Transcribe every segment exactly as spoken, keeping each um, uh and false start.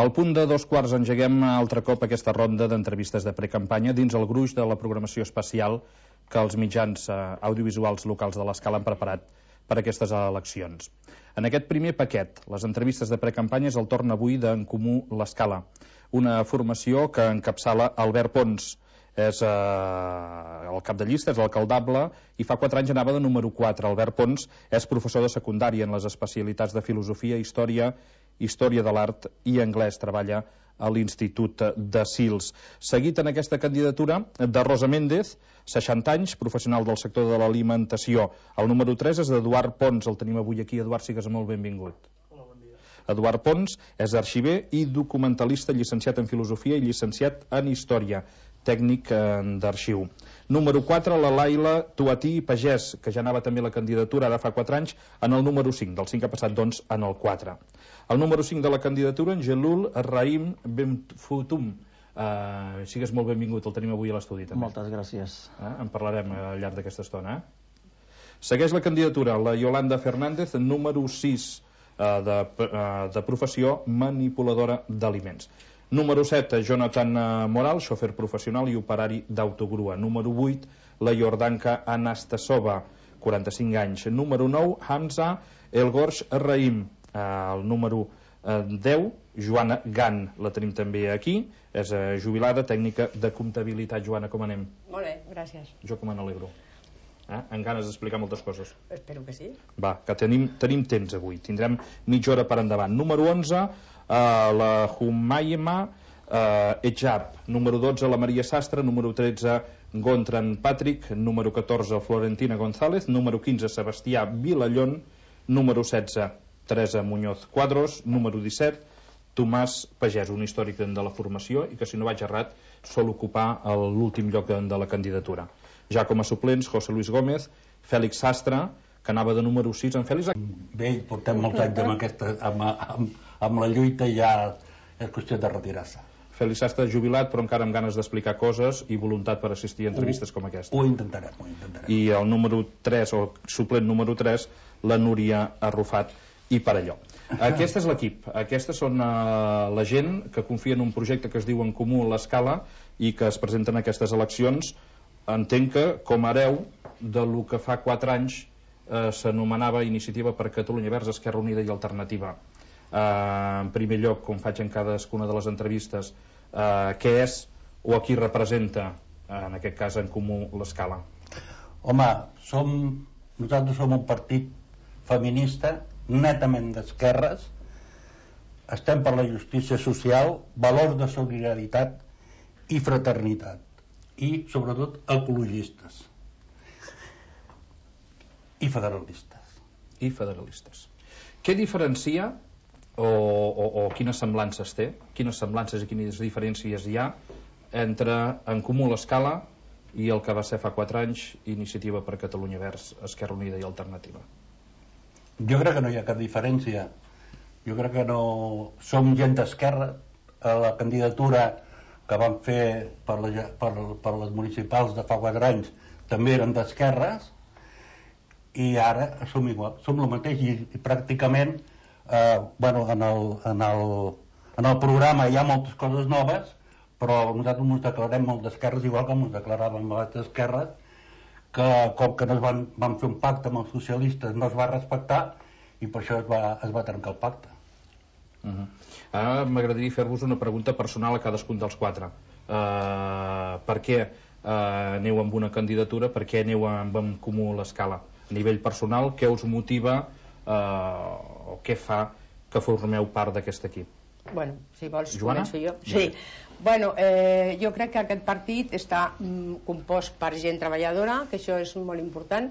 Al punt de dos quarts engeguem altre cop aquesta ronda d'entrevistes de precampanya dins el gruix de la programació especial que els mitjans audiovisuals locals de l'Escala han preparat per a aquestes eleccions. En aquest primer paquet, les entrevistes de precampanya, és el torn avui d'En Comú l'Escala, una formació que encapçala Albert Pons. És eh, el cap de llista, és l'alcaldable, i fa quatre anys anava de número quatre. Albert Pons és professor de secundària en les especialitats de filosofia, història, història de l'art i anglès. Treballa a l'Institut de Sils. Seguit en aquesta candidatura de Rosa Méndez, seixanta anys, professional del sector de l'alimentació. El número tres és d'Eduard Pons, el tenim avui aquí. Eduard, sigues molt benvingut. Hola, bon dia. Eduard Pons és arxiver i documentalista, llicenciat en filosofia i llicenciat en història, tècnic d'arxiu. Número quatre, la Laila Tuatí Pagès, que ja anava també la candidatura ara fa quatre anys, en el número cinc. Del cinc ha passat, doncs, en el quatre. El número cinc de la candidatura, en Gelul Raïm Benfutum. Uh, sigues molt benvingut, el tenim avui a l'estudi també. Moltes gràcies. Uh, en parlarem al llarg d'aquesta estona. Eh? Segueix la candidatura la Yolanda Fernández, número sis, uh, de, uh, de professió manipuladora d'aliments. Número set, Jonathan Moral, xofer professional i operari d'autogrua. Número vuit, la Jordanka Anastasova, quaranta-cinc anys. Número nou, Hamza Elgorsh Raïm. El número deu, Joana Gan, la tenim també aquí, és jubilada, tècnica de comptabilitat. Joana, com anem? Molt bé, gràcies. Jo com me n'alegro. Eh? En ganes d'explicar moltes coses. Espero que sí. Va, que tenim, tenim temps avui, tindrem mitja hora per endavant. Número onze, Uh, la Humayma uh, Ejab. Número dotze, la Maria Sastre. Número tretze, Gontran Patrick. Número catorze, Florentina González. Número quinze, Sebastià Vilallón. Número setze, Teresa Muñoz Cuadros. Número disset, Tomàs Pagès, un històric de la formació i que, si no vaig errat, sol ocupar l'últim lloc de la candidatura. Ja com a suplents, José Luis Gómez, Fèlix Sastre, que anava de número sis. En Fèlix... Bé, portem molts anys amb, aquesta, amb, amb, amb la lluita i ja és qüestió de retirar-se. Fèlix Sastre jubilat, però encara amb ganes d'explicar coses i voluntat per assistir a entrevistes ho, com aquesta. Ho intentarem, ho intentarem. I el número tres, o suplent número tres, la Núria Arrufat i Parelló. Aquest és l'equip. Aquestes són uh, la gent que confia en un projecte que es diu En Comú l'Escala i que es presenten a aquestes eleccions. Entenc que com a hereu del que fa quatre anys eh, s'anomenava Iniciativa per Catalunya Verds, Esquerra Unida i Alternativa. Eh, en primer lloc, com faig en cadascuna de les entrevistes, eh, què és o a qui representa, eh, en aquest cas, En Comú l'Escala? Home, som, nosaltres som un partit feminista, netament d'esquerres, estem per la justícia social, valors de solidaritat i fraternitat, i sobretot ecologistes i federalistes. I federalistes. Què diferencia o, o, o quines semblances té, quines semblances i quines diferències hi ha entre En Comú l'Escala i el que va ser fa quatre anys Iniciativa per Catalunya Verds, Esquerra Unida i Alternativa? Jo crec que no hi ha cap diferència. Jo crec que no... Som gent d'esquerra. A la candidatura que van fer per, la, per, per les municipals de fa quatre anys també eren d'esquerres, i ara som igual, som el mateix, i, i pràcticament eh, bueno, en, el, en, el, en el programa hi ha moltes coses noves, però nosaltres ens declarem molt d'esquerres, igual que ens declaràvem les d'esquerres, que com que no es van, van fer un pacte amb els socialistes no es va respectar i per això es va, es va trencar el pacte. Uh-huh. Ara m'agradaria fer-vos una pregunta personal a cadascun dels quatre. Uh, per què uh, aneu amb una candidatura, per què aneu amb En Comú l'Escala? A nivell personal, què us motiva uh, o què fa que formeu part d'aquest equip? Bueno, si vols, Joana? començo jo. Sí. Bueno, eh, jo crec que aquest partit està mm, compost per gent treballadora, que això és molt important,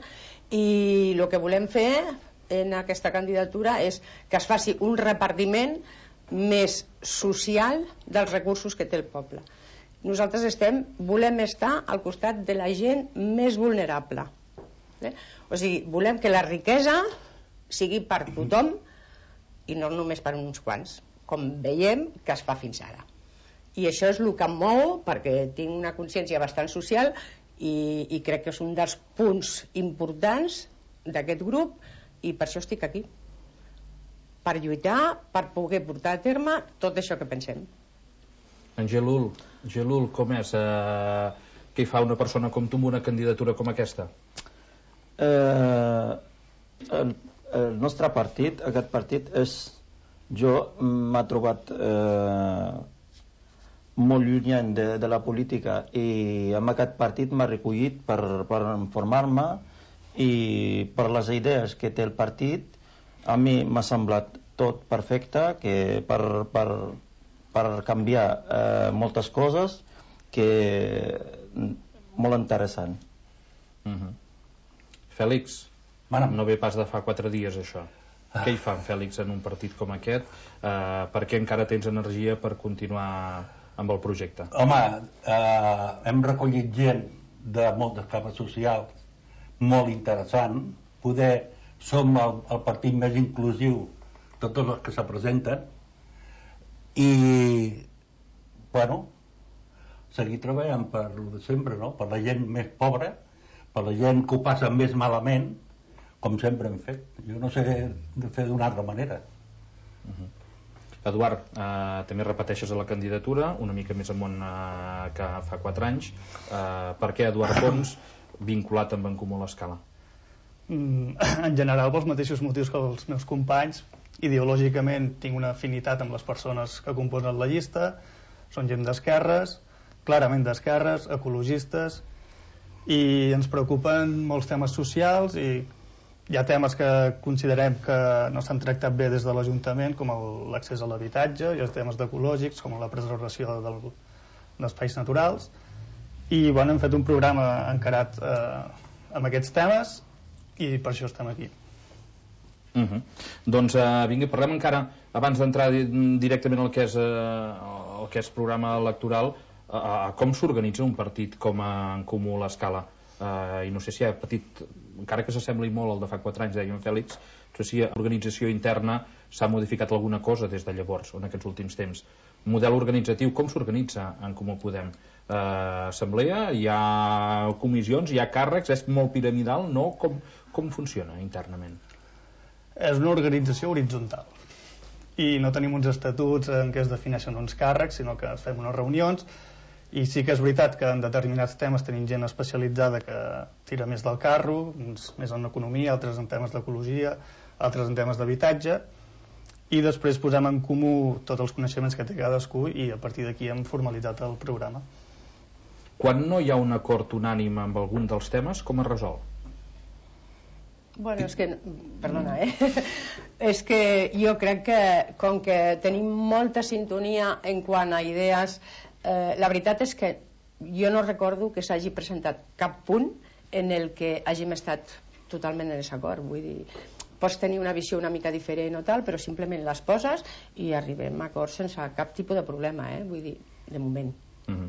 i el que volem fer en aquesta candidatura és que es faci un repartiment més social dels recursos que té el poble. Nosaltres estem, volem estar al costat de la gent més vulnerable. Eh? O sigui, volem que la riquesa sigui per tothom i no només per uns quants, com veiem que es fa fins ara. I això és el que em mou, perquè tinc una consciència bastant social i, i crec que és un dels punts importants d'aquest grup, i per això estic aquí, per lluitar, per poder portar a terme tot això que pensem. Angelul, Angelul, com és? Eh, què hi fa una persona com tu amb una candidatura com aquesta? Eh, el, el nostre partit, aquest partit és, jo m'ha trobat eh, molt llunyant de, de la política, i amb aquest partit m'ha recollit per, per informar-me, i per les idees que té el partit a mi m'ha semblat tot perfecte, que per, per, per canviar eh, moltes coses, que molt interessant. Uh-huh. Fèlix, Mana. no ve pas de fa quatre dies això. Ah. Què hi fan, Fèlix, en un partit com aquest? Eh, per què encara tens energia per continuar amb el projecte? Home, eh, hem recollit gent de moltes capes socials molt interessant. Poder som el, el partit més inclusiu de tots els que se presenten, i bueno, seguir treballant per lo de sempre, no? Per la gent més pobra, per la gent que ho passa més malament, com sempre hem fet. Jo no sé de fer d'una altra manera. Uh-huh. Eduard, eh, també repeteixes a la candidatura, una mica més amunt eh, que fa quatre anys. Eh, per què Eduard Pons, vinculat amb En Comú l'Escala? Mm, en general, pels mateixos motius que els meus companys. Ideològicament tinc una afinitat amb les persones que composen la llista. Són gent d'esquerres, clarament d'esquerres, ecologistes, i ens preocupen molts temes socials, i hi ha temes que considerem que no s'han tractat bé des de l'Ajuntament, com l'accés a l'habitatge, i els temes ecològics, com la preservació del, d'espais naturals, i bueno, hem fet un programa encarat eh, amb aquests temes, i per això estem aquí. Uh-huh. Doncs eh, vinga, parlem encara, abans d'entrar directament al que és, eh, el que és programa electoral, eh, com s'organitza un partit com En Comú l'Escala? Uh, i no sé si ha patit, encara que s'assembli molt al de fa quatre anys, deia en Fèlix, no sé si l'organització interna s'ha modificat alguna cosa des de llavors, en aquests últims temps. Model organitzatiu, com s'organitza En Comú Podem? Uh, assemblea, hi ha comissions, hi ha càrrecs, és molt piramidal, no? Com, com funciona internament? És una organització horitzontal, i no tenim uns estatuts en què es defineixen uns càrrecs, sinó que fem unes reunions. I sí que és veritat que en determinats temes tenim gent especialitzada que tira més del carro, uns més en economia, altres en temes d'ecologia, altres en temes d'habitatge, i després posem en comú tots els coneixements que té cadascú, i a partir d'aquí hem formalitzat el programa. Quan no hi ha un acord unànime amb algun dels temes, com es resol? Bueno, és que... Perdona, eh? És que jo crec que, com que tenim molta sintonia en quant a idees, Eh, la veritat és que jo no recordo que s'hagi presentat cap punt en el que hàgim estat totalment en desacord. Vull dir, pots tenir una visió una mica diferent o tal, però simplement les poses i arribem a acords sense cap tipus de problema, eh? Vull dir, de moment. Uh-huh.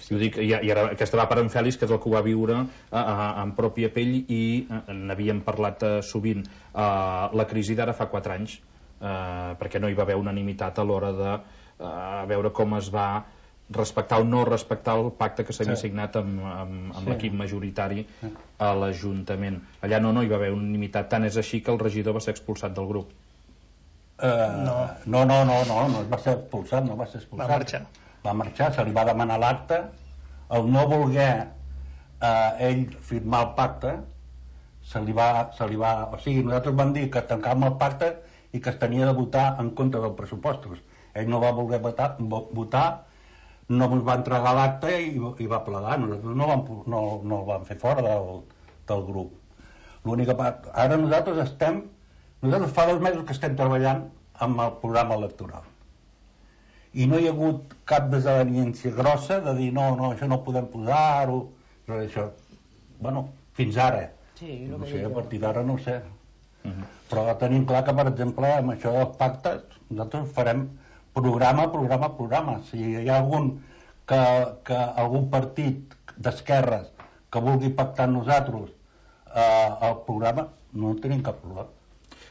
Jo dic, i, i ara aquesta va per en Fèlix, que és el que ho va viure a, a, en pròpia pell, i n'havíem parlat uh, sovint. Uh, la crisi d'ara fa quatre anys, uh, perquè no hi va haver unanimitat a l'hora de uh, veure com es va respectar o no respectar el pacte que s'havia sí. signat amb, amb, amb sí. l'equip majoritari a l'Ajuntament. Allà no, no hi va haver unanimitat, tant és així que el regidor va ser expulsat del grup. Uh, no. no, no, no, no, no va ser expulsat, no va ser expulsat. Va marxar. Va marxar, se li va demanar l'acte, el no voler uh, ell firmar el pacte, se li va, se li va... O sigui, nosaltres vam dir que tancàvem el pacte i que es tenia de votar en contra dels pressupostos. Ell no va voler votar, votar no ens va entregar l'acte i, i va plegar. Nosaltres no, vam, no, no el vam fer fora del, del grup. L'única part... Ara nosaltres estem... Nosaltres fa dos mesos que estem treballant amb el programa electoral. I no hi ha hagut cap desavenència grossa de dir no, no, això no podem posar-ho... Això. Bueno, fins ara. Sí, no sé, a partir d'ara no ho sé. Uh-huh. Però tenim clar que, per exemple, amb això dels pactes, nosaltres farem programa, programa, programa. Si hi ha algun que, que algun partit d'esquerres que vulgui pactar amb nosaltres eh, el programa, no tenim cap problema.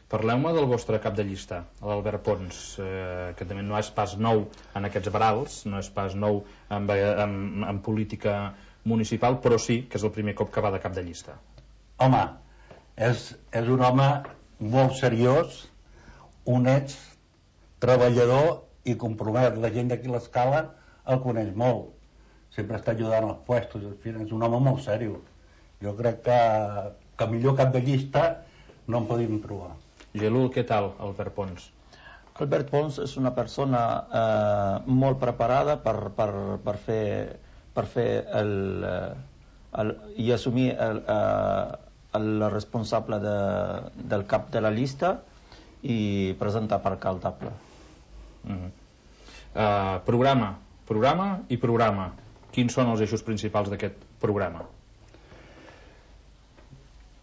Parleu-me del vostre cap de llista, l'Albert Pons, eh, que també no és pas nou en aquests barals, no és pas nou en, en, en política municipal, però sí que és el primer cop que va de cap de llista. Home, és, és un home molt seriós, honest, treballador i compromès. La gent d'aquí a l'Escala el coneix molt. Sempre està ajudant als puestos. És un home molt seriós. Jo crec que, que millor cap de llista no en podíem trobar. Gelul, què tal, Albert Pons? Albert Pons és una persona eh, molt preparada per, per, per fer, per fer el, el, i assumir el, el responsable de, del cap de la llista i presentar per alcaldable. Mm-hmm. uh, programa, programa i programa. Quins són els eixos principals d'aquest programa?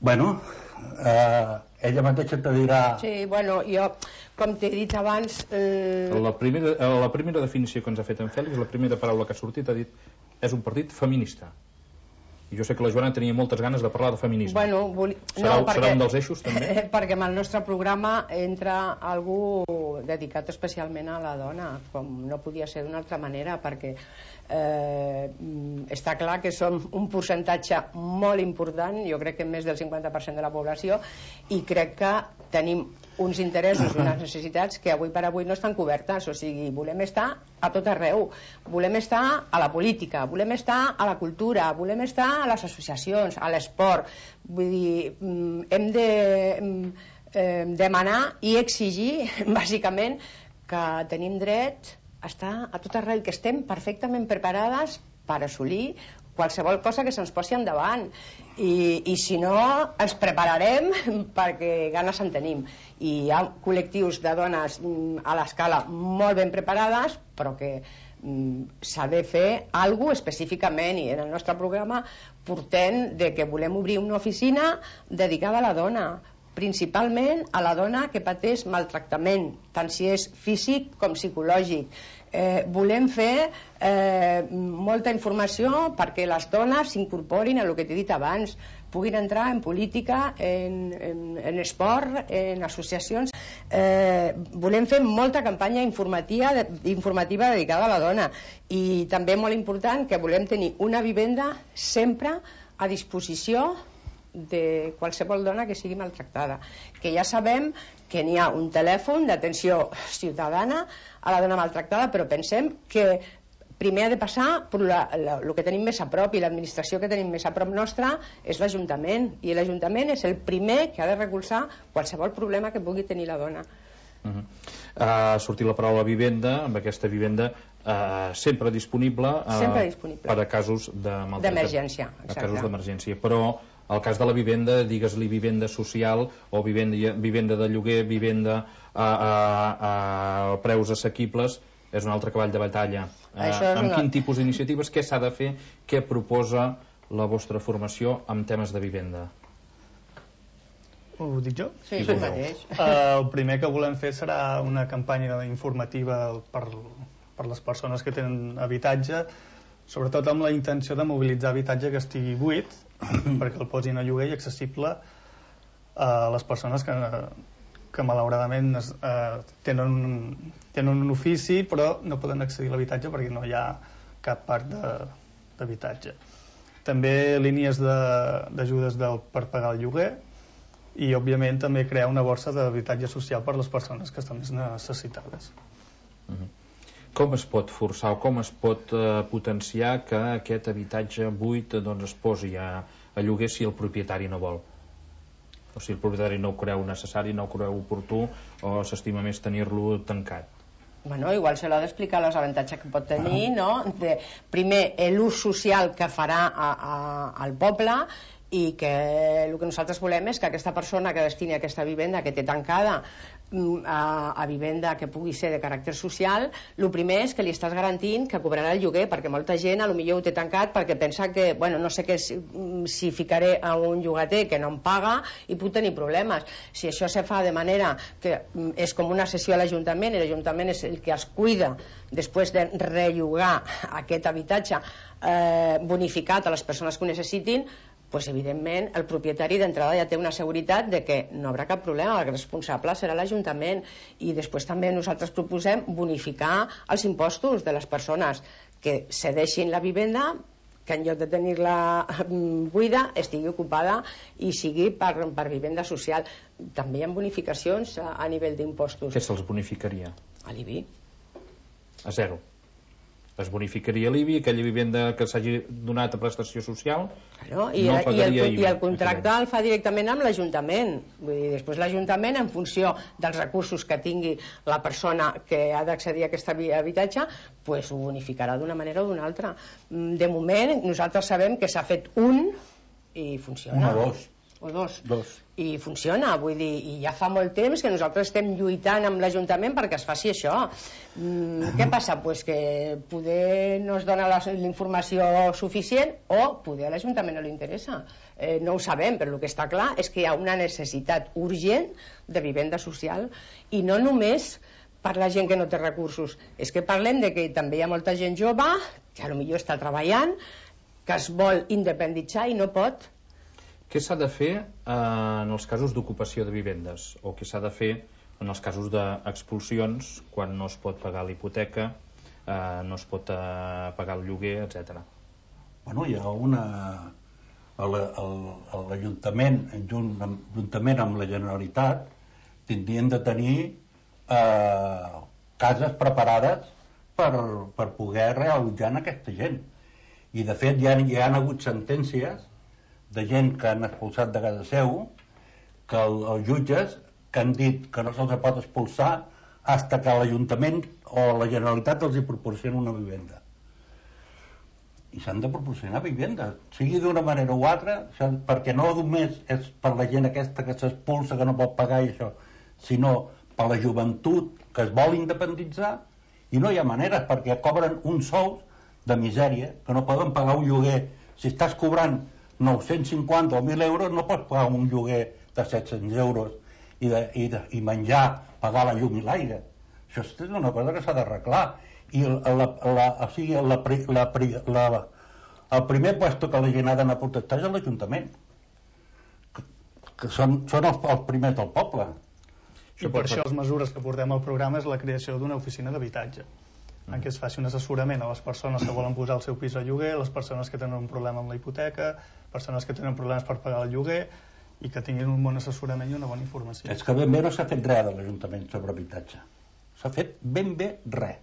Bueno, eh, ella mateixa te dirà... Sí, bueno, jo, com t'he dit abans... Eh... La, primera, la primera definició que ens ha fet en Fèlix, la primera paraula que ha sortit, ha dit és un partit feminista. I jo sé que la Joana tenia moltes ganes de parlar de feminisme. Bueno, vol... serà, no, perquè, serà un dels eixos, també? Eh, perquè en el nostre programa entra algú dedicat especialment a la dona, com no podia ser d'una altra manera, perquè eh, està clar que som un percentatge molt important, jo crec que més del cinquanta per cent de la població, i crec que tenim uns interessos i unes necessitats que avui per avui no estan cobertes. O sigui, volem estar a tot arreu, volem estar a la política, volem estar a la cultura, volem estar a les associacions, a l'esport. Vull dir, hem de eh, demanar i exigir bàsicament que tenim dret a estar a tot arreu, que estem perfectament preparades per assolir qualsevol cosa que se'ns posi endavant, i, i si no ens prepararem perquè ganes en tenim. I hi ha col·lectius de dones a l'escala molt ben preparades, però que mm, s'ha de fer alguna cosa específicament, i en el nostre programa portem de que volem obrir una oficina dedicada a la dona, principalment a la dona que pateix maltractament, tant si és físic com psicològic. Eh, volem fer eh, molta informació perquè les dones s'incorporin a el que t'he dit abans, puguin entrar en política, en, en, en esport, en associacions. Eh, volem fer molta campanya informativa, informativa dedicada a la dona, i també molt important que volem tenir una vivenda sempre a disposició de qualsevol dona que sigui maltractada, que ja sabem que n'hi ha un telèfon d'atenció ciutadana a la dona maltractada, però pensem que primer ha de passar per la, la, el que tenim més a prop, i l'administració que tenim més a prop nostra és l'Ajuntament, i l'Ajuntament és el primer que ha de recolzar qualsevol problema que pugui tenir la dona. Uh-huh. Ha sortit la paraula vivenda, amb aquesta vivenda uh, sempre disponible, uh, sempre disponible per a casos de d'emergència, a casos d'emergència, però el cas de la vivenda, digues-li vivenda social o vivenda, vivenda de lloguer, vivenda a, a, a preus assequibles, és un altre cavall de batalla. Uh, amb una... quin tipus d'iniciatives, què s'ha de fer, què proposa la vostra formació amb temes de vivenda? Ho dic jo? Sí, sí, mateix. Uh, el primer que volem fer serà una campanya informativa per, per les persones que tenen habitatge, sobretot amb la intenció de mobilitzar habitatge que estigui buit perquè el posin a lloguer i accessible a les persones que, que malauradament es, eh, tenen, un, tenen un ofici però no poden accedir a l'habitatge perquè no hi ha cap part d'habitatge. També línies d'ajudes per pagar el lloguer, i òbviament també crear una borsa d'habitatge social per a les persones que estan més necessitades. Uh-huh. Com es pot forçar o com es pot eh, potenciar que aquest habitatge buit doncs, es posi a, a lloguer si el propietari no vol? O si el propietari no ho creu necessari, no ho creu oportú, o s'estima més tenir-lo tancat? Bueno, igual se l'ha d'explicar els avantatges que pot tenir, no? De, primer, l'ús social que farà a, a, al poble, i que el que nosaltres volem és que aquesta persona que destini aquesta vivenda que té tancada a, a vivenda que pugui ser de caràcter social, el primer és que li estàs garantint que cobrarà el lloguer, perquè molta gent a lo millor ho té tancat perquè pensa que, bueno, no sé què, si, si ficaré a un llogater que no em paga i puc tenir problemes. Si això se fa de manera que és com una sessió a l'Ajuntament, i l'Ajuntament és el que es cuida després de rellogar aquest habitatge eh, bonificat a les persones que ho necessitin, pues evidentment el propietari d'entrada ja té una seguretat de que no haurà cap problema, el responsable serà l'Ajuntament. I després també nosaltres proposem bonificar els impostos de les persones que cedeixin la vivenda que en lloc de tenir-la buida estigui ocupada i sigui per, per vivenda social. També hi ha bonificacions a, a nivell d'impostos. Què se'ls bonificaria? A l'I B I. A zero. Es bonificaria l'I B I, aquella vivenda que s'hagi donat a prestació social, claro, i, no i, pagaria el, I B I. I el contracte el fa directament amb l'Ajuntament. Vull dir, després l'Ajuntament, en funció dels recursos que tingui la persona que ha d'accedir a aquest habitatge, pues ho bonificarà d'una manera o d'una altra. De moment, nosaltres sabem que s'ha fet un i funciona. Un o dos. O dos. Dos. I funciona, vull dir, i ja fa molt temps que nosaltres estem lluitant amb l'Ajuntament perquè es faci això. Mm, què passa? Pues que poder no es dona la, la informació suficient o poder a l'Ajuntament no li interessa. Eh, no ho sabem, però el que està clar és que hi ha una necessitat urgent de vivenda social i no només per la gent que no té recursos, és que parlem de que també hi ha molta gent jove que potser està treballant, que es vol independitzar i no pot. Què s'ha de fer eh, en els casos d'ocupació de vivendes? O què s'ha de fer en els casos d'expulsions quan no es pot pagar la hipoteca, eh, no es pot eh, pagar el lloguer, etcètera? Bueno, hi ha una... L'Ajuntament, juntament amb la Generalitat, tindrien de tenir eh, cases preparades per, per poder realitzar en aquesta gent. I de fet hi ha, hi ha hagut sentències de gent que han expulsat de casa seu, que el, els jutges que han dit que no se'ls pot expulsar fins que l'Ajuntament o la Generalitat els hi proporciona una vivenda. I s'han de proporcionar vivendes, sigui d'una manera o altra, perquè no només és per la gent aquesta que s'expulsa, que no pot pagar i això, sinó per la joventut que es vol independitzar, i no hi ha maneres, perquè cobren uns sous de misèria, que no poden pagar un lloguer. Si estàs cobrant nou-cents cinquanta o mil euros, no pots pagar un lloguer de set-cents euros i, de, i, de, i menjar, pagar la llum i l'aire. Això és una cosa que s'ha d'arreglar. I la, la, o sigui, la, la, la, el primer puesto que la gent ha d'anar a protestar és l'Ajuntament, que, que són, són els, els primers del poble. I per això les mesures que portem al programa és la creació d'una oficina d'habitatge, en què es faci un assessorament a les persones que volen posar el seu pis a lloguer, les persones que tenen un problema amb la hipoteca, persones que tenen problemes per pagar el lloguer, i que tinguin un bon assessorament i una bona informació. És que ben bé no s'ha fet res de l'Ajuntament sobre habitatge. S'ha fet ben bé res.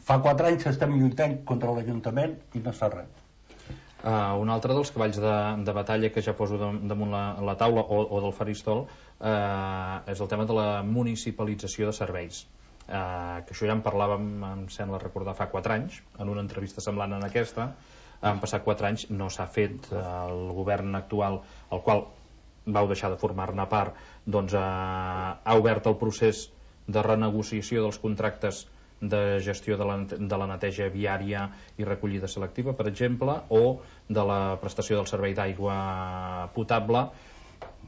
Fa quatre anys que estem lluitant contra l'Ajuntament i no s'ha res. Uh, un altre dels cavalls de, de batalla que ja poso damunt la, la taula o, o del faristol uh, és el tema de la municipalització de serveis. Uh, que això ja en parlàvem, em sembla recordar, fa quatre anys, en una entrevista semblant en aquesta. Han passat quatre anys, no s'ha fet. El govern actual, el qual vau deixar de formar-ne part, doncs uh, ha obert el procés de renegociació dels contractes de gestió de la, de la neteja viària i recollida selectiva, per exemple, o de la prestació del servei d'aigua potable,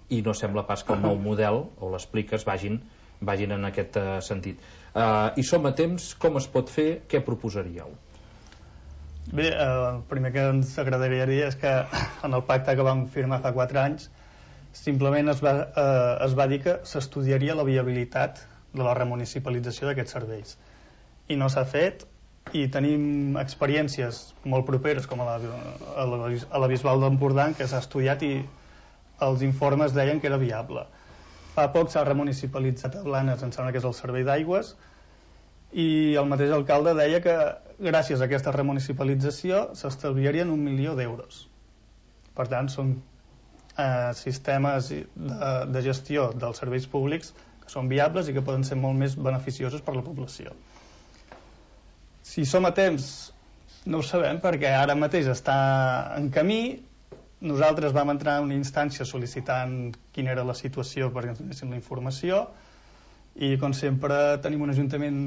i no sembla pas que el nou model, o l'expliques, vagin, vagin en aquest uh, sentit. Uh, I som a temps, com es pot fer, què proposaríeu? Bé, eh, el primer que ens agradaria dir és que en el pacte que vam firmar fa quatre anys simplement es va, eh, es va dir que s'estudiaria la viabilitat de la remunicipalització d'aquests serveis, i no s'ha fet, i tenim experiències molt properes com a la, a la, a la Bisbal d'Empordà, que s'ha estudiat i els informes deien que era viable. Fa poc s'ha remunicipalitzat a Blanes, em sembla que és el servei d'aigües, i el mateix alcalde deia que gràcies a aquesta remunicipalització s'estalviarien un milió d'euros. Per tant, són eh, sistemes de, de gestió dels serveis públics que són viables i que poden ser molt més beneficiosos per a la població. Si som a temps, no ho sabem, perquè ara mateix està en camí. Nosaltres vam entrar en una instància sol·licitant quina era la situació perquè ens donessin la informació, i com sempre tenim un ajuntament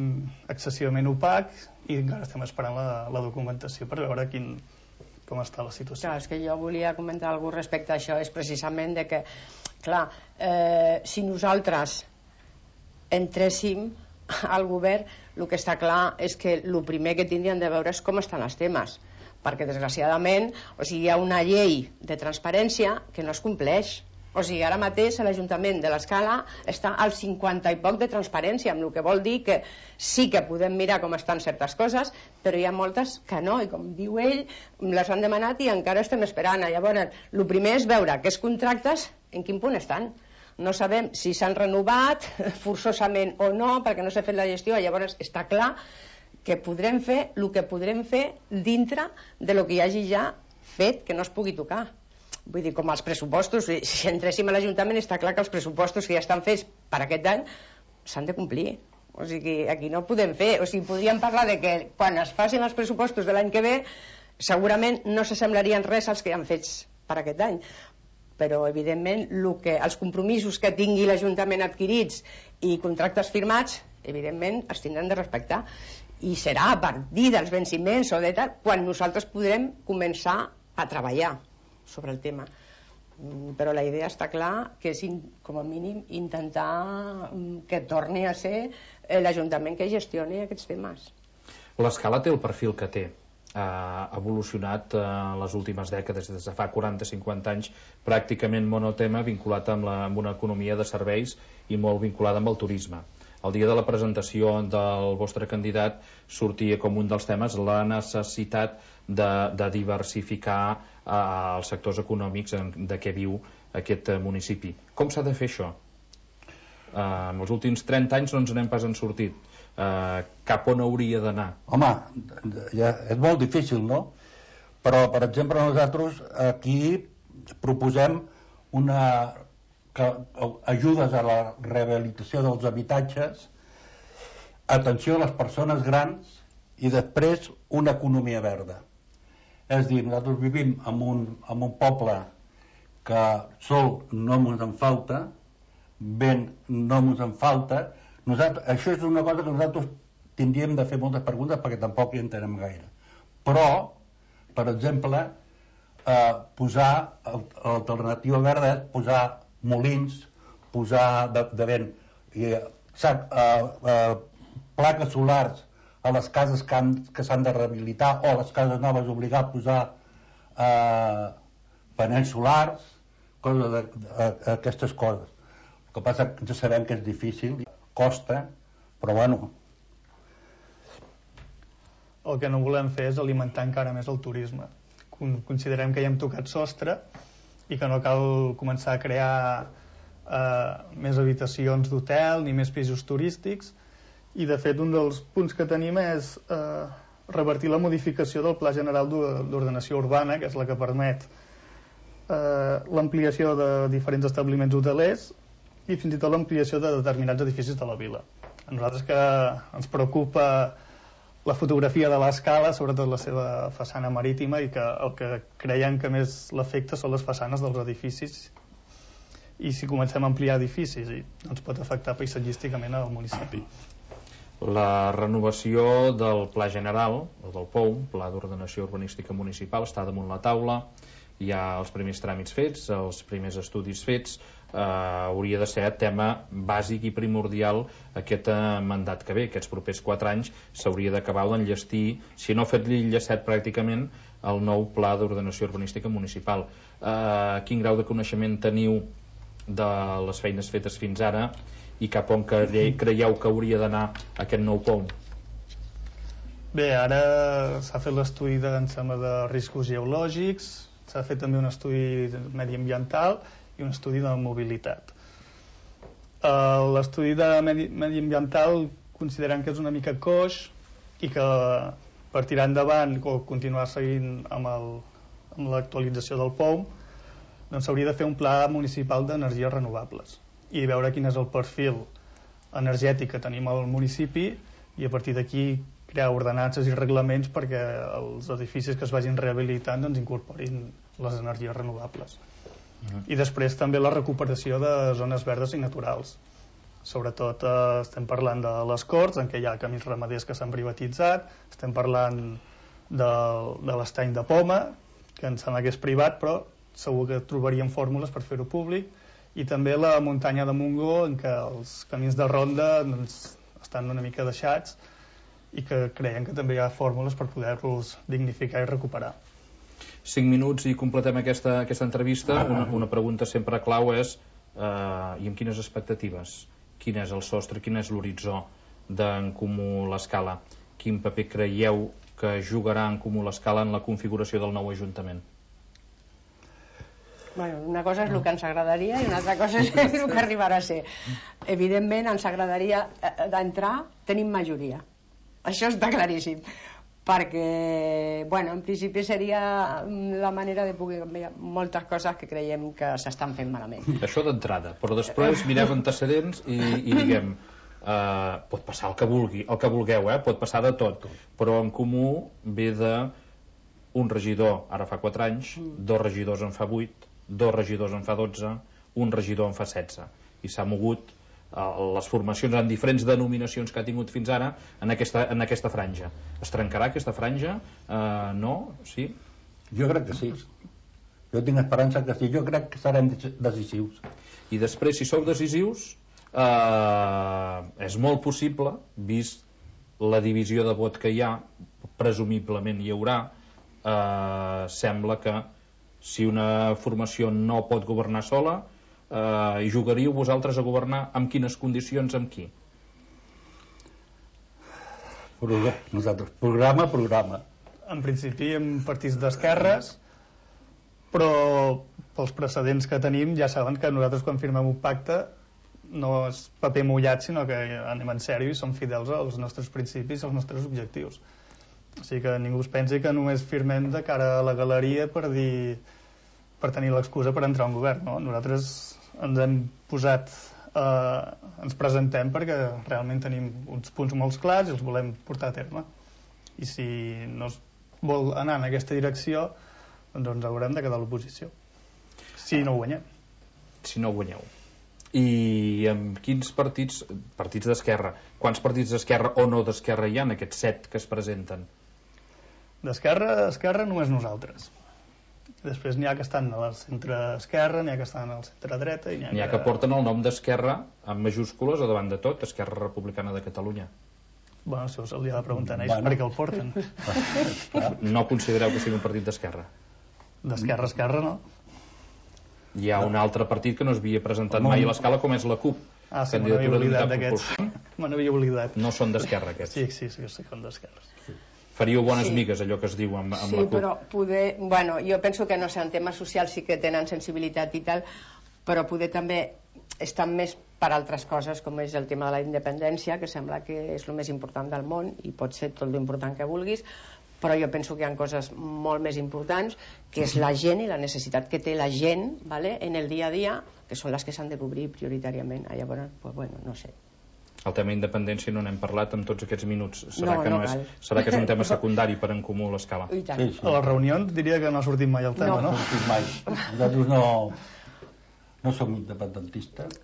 excessivament opac i encara estem esperant la, la documentació per veure quin, com està la situació. Clar, és que jo volia comentar alguna cosa respecte a això, és precisament de que, clar, eh, si nosaltres entréssim al govern, el que està clar és que el primer que tindríem de veure és com estan els temes, perquè desgraciadament, o sigui, hi ha una llei de transparència que no es compleix. O sigui, ara mateix l'Ajuntament de l'Escala està al cinquanta i poc de transparència, amb el que vol dir que sí que podem mirar com estan certes coses, però hi ha moltes que no, i com diu ell, les han demanat i encara estem esperant. Llavors, el primer és veure aquests contractes en quin punt estan. No sabem si s'han renovat forçosament o no, perquè no s'ha fet la gestió. Llavors està clar que podrem fer el que podrem fer dintre de lo que hi hagi ja fet que no es pugui tocar. Vull dir, com els pressupostos, si entréssim a l'Ajuntament està clar que els pressupostos que ja estan fets per aquest any s'han de complir. O sigui, aquí no podem fer, o sigui, podríem parlar de que quan es facin els pressupostos de l'any que ve segurament no s'assemblarien res als que han fets per aquest any, però evidentment lo que, els compromisos que tingui l'Ajuntament adquirits i contractes firmats, evidentment els tindrem de respectar, i serà a partir dels venciments o de tal quan nosaltres podrem començar a treballar sobre el tema. Però la idea està clar que és, com a mínim, intentar que torni a ser l'Ajuntament que gestioni aquests temes. L'Escala té el perfil que té. Ha evolucionat en les últimes dècades, des de fa quaranta a cinquanta anys, pràcticament monotema, vinculat amb, la, amb una economia de serveis i molt vinculada amb el turisme. El dia de la presentació del vostre candidat sortia com un dels temes la necessitat de, de diversificar eh, els sectors econòmics en, de què viu aquest municipi. Com s'ha de fer això? Eh, en els últims trenta anys no ens n'hem pas en sortit. Eh, cap on hauria d'anar? Home, ja és molt difícil, no? Però, per exemple, nosaltres aquí proposem una... que ajudes a la rehabilitació dels habitatges, atenció a les persones grans i després una economia verda. És a dir, nosaltres vivim en un, en un poble que sol no ens en falta, vent no ens en falta. Nosaltres, això és una cosa que nosaltres tindríem de fer moltes preguntes perquè tampoc hi entenem gaire. Però, per exemple, eh, posar l'alternativa verda és posar molins, posar de, de vent i, sac, eh, eh, plaques solars a les cases que, han, que s'han de rehabilitar o a les cases noves obligar a posar eh, panells solars, coses de, de, aquestes coses. El que passa que ja sabem que és difícil, costa, però bueno. El que no volem fer és alimentar encara més el turisme. Considerem que ja hem tocat sostre i que no cal començar a crear eh, més habitacions d'hotel ni més pisos turístics, i de fet un dels punts que tenim és eh, revertir la modificació del Pla General d'Ordenació Urbana, que és la que permet eh, l'ampliació de diferents establiments hotelers i fins i tot l'ampliació de determinats edificis de la vila. A nosaltres que ens preocupa la fotografia de l'Escala, sobretot la seva façana marítima, i que el que creiem que més l'afecta són les façanes dels edificis, i si comencem a ampliar edificis i ens pot afectar paisatgísticament al municipi. La renovació del Pla General, o del P O U, Pla d'Ordenació Urbanística Municipal, està damunt la taula, hi ha els primers tràmits fets, els primers estudis fets, eh, hauria de ser tema bàsic i primordial aquest eh, mandat que ve, aquests propers quatre anys s'hauria d'acabar d'enllestir, si no fet l'enllestat pràcticament, el nou Pla d'Ordenació Urbanística Municipal. Eh, quin grau de coneixement teniu de les feines fetes fins ara i cap on creieu que hauria d'anar aquest nou P O U? Bé, ara s'ha fet l'estudi de, em sembla, de riscos geològics, s'ha fet també un estudi mediambiental i un estudi de mobilitat. L'estudi de medi, mediambiental considerem que és una mica coix i que per tirar endavant o continuar seguint amb, el, amb l'actualització del P O U doncs s'hauria de fer un pla municipal d'energies renovables i veure quin és el perfil energètic que tenim al municipi i a partir d'aquí crear ordenances i reglaments perquè els edificis que es vagin rehabilitant doncs incorporin les energies renovables. Uh-huh. I després també la recuperació de zones verdes i naturals. Sobretot eh, estem parlant de les Corts, en què hi ha camins ramaders que s'han privatitzat, estem parlant de, de l'estany de Poma, que em sembla que és privat, però segur que trobaríem fórmules per fer-ho públic, i també la muntanya de Montgó, en què els camins de ronda doncs, estan una mica deixats i que creiem que també hi ha fórmules per poder-los dignificar i recuperar. Cinc minuts i completem aquesta, aquesta entrevista. Una, una pregunta sempre clau és eh, i amb quines expectatives? Quin és el sostre, quin és l'horitzó d'en Comú l'Escala? Quin paper creieu que jugarà en Comú l'Escala en la configuració del nou Ajuntament? Bueno, una cosa és el que ens agradaria i una altra cosa és el que arribarà a ser. Evidentment ens agradaria d'entrar, tenim majoria. Això està claríssim. Perquè, bueno, en principi seria la manera de poder canviar moltes coses que creiem que s'estan fent malament. Això d'entrada, però després mireu antecedents i, i diguem, eh, pot passar el que vulgui, el que vulgueu, eh? Pot passar de tot, però en Comú ve de un regidor ara fa quatre anys, dos regidors en fa vuit, dos regidors en fa dotze, un regidor en fa setze, i s'ha mogut eh, les formacions en diferents denominacions que ha tingut fins ara en aquesta, en aquesta franja. Es trencarà aquesta franja? Eh, no? Sí? Jo crec que sí. Jo tinc esperança que sí. Jo crec que serem decisius. I després, si sou decisius, eh, és molt possible, vist la divisió de vot que hi ha, presumiblement hi haurà, eh, sembla que si una formació no pot governar sola, eh, hi jugaríeu vosaltres a governar amb quines condicions, amb qui? Nosaltres, programa, programa. En principi amb partits d'esquerres, però pels precedents que tenim ja saben que nosaltres quan firmem un pacte no és paper mullat, sinó que anem en sèrio i som fidels als nostres principis, als nostres objectius. O sigui que ningú es pensi que només firmem de cara a la galeria per dir per tenir l'excusa per entrar a un govern, no? Nosaltres ens hem posat eh, ens presentem perquè realment tenim uns punts molt clars i els volem portar a terme, i si no es vol anar en aquesta direcció, doncs ens haurem de quedar a l'oposició si no guanyem. Si no guanyeu. I amb quins partits, partits d'esquerra, quants partits d'esquerra o no d'esquerra hi ha en aquests set que es presenten? D'esquerra, d'esquerra només nosaltres. Després n'hi ha que estan a la centre-esquerra, n'hi ha que estan al centre-dreta i n'hi ha, n'hi ha que... que porten el nom d'Esquerra amb majúscules o davant de tot, Esquerra Republicana de Catalunya. Bueno, això se li ha de preguntar a ells, bueno, per què el porten. No considereu que sigui un partit d'esquerra? D'esquerra a esquerra, no. Hi ha un altre partit que no es havia presentat mai a l'Escala, com és la CUP. Ah, sí, me n'havia oblidat d'aquests. Me n'havia oblidat. No són d'esquerra, aquests? Sí, sí, sí, sí, són d'esquerra. Sí. Faríeu bones sí. migues, allò que es diu amb, amb sí, la CUP. Sí, però poder... Bueno, jo penso que no sé, en temes socials sí que tenen sensibilitat i tal, però poder també estar més per altres coses, com és el tema de la independència, que sembla que és el més important del món, i pot ser tot l'important que vulguis, però jo penso que hi ha coses molt més importants, que és la gent i la necessitat que té la gent, ¿vale?, en el dia a dia, que són les que s'han de cobrir prioritàriament. Ah, llavors, pues bueno, no sé. El tema independència no n'hem parlat en tots aquests minuts. Serà, no, que, no no és, serà que és un tema secundari per en Comú l'Escala? Sí, sí. A les reunions diria que no ha sortit mai el tema, no? No, no ha sortit mai. Nosaltres no, no som independentistes.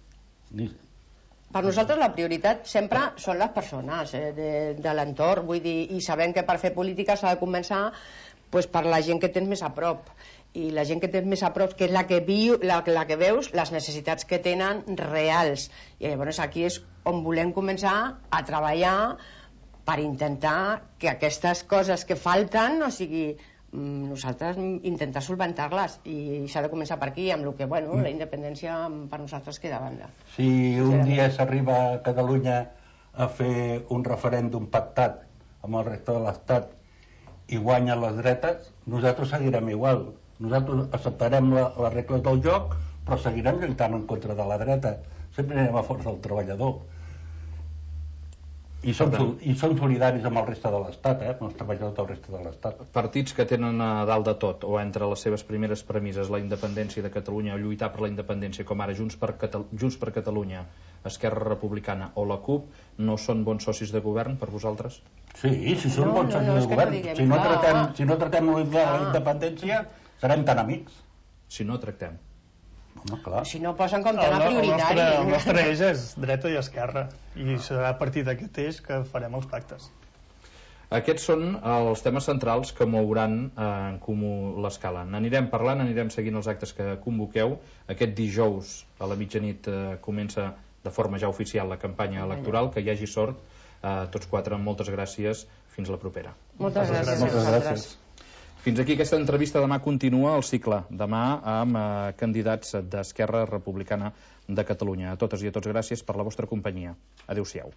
Ni... Per nosaltres la prioritat sempre són les persones eh, de, de l'entorn, vull dir, i sabem que per fer política s'ha de començar pues, per la gent que tens més a prop, i la gent que tens més a prop, que és la que, viu, la, la que veus les necessitats que tenen reals, i llavors aquí és on volem començar a treballar per intentar que aquestes coses que falten, o sigui, nosaltres intentar solventar-les, i s'ha de començar per aquí, amb el que, bueno, la independència per nosaltres queda a banda. Si un dia s'arriba a Catalunya a fer un referèndum pactat amb el reste de l'Estat i guanyen les dretes, nosaltres seguirem igual. Nosaltres acceptarem la, les regles del joc, però seguirem lluitant en contra de la dreta. Sempre anem a favor del treballador. I som, i som solidaris amb el reste de l'Estat, eh? amb els treballadors del reste de l'Estat. Partits que tenen a dalt de tot, o entre les seves primeres premisses, la independència de Catalunya, o lluitar per la independència, com ara Junts per, Catal Junts per Catalunya, Esquerra Republicana o la CUP, no són bons socis de govern per vosaltres? Sí, si són no, bons no, socis no, de govern. No si, no tratem, si no tratem la independència, serem tan amics. Si no tractem. Home, clar. Si no posen com tema prioritari. El nostre, el nostre eix és dreta i esquerra, i serà a partir d'aquest eix que farem els pactes. Aquests són els temes centrals que mouran en Comú l'Escala. N'anirem parlant, anirem seguint els actes que convoqueu. Aquest dijous a la mitjanit eh, comença de forma ja oficial la campanya electoral. Que hi hagi sort. Eh, tots quatre, moltes gràcies. Fins la propera. Moltes gràcies. Moltes gràcies. Fins aquí aquesta entrevista. Demà continua el cicle. Demà amb eh, candidats d'Esquerra Republicana de Catalunya. A totes i a tots, gràcies per la vostra companyia. Adéu-siau.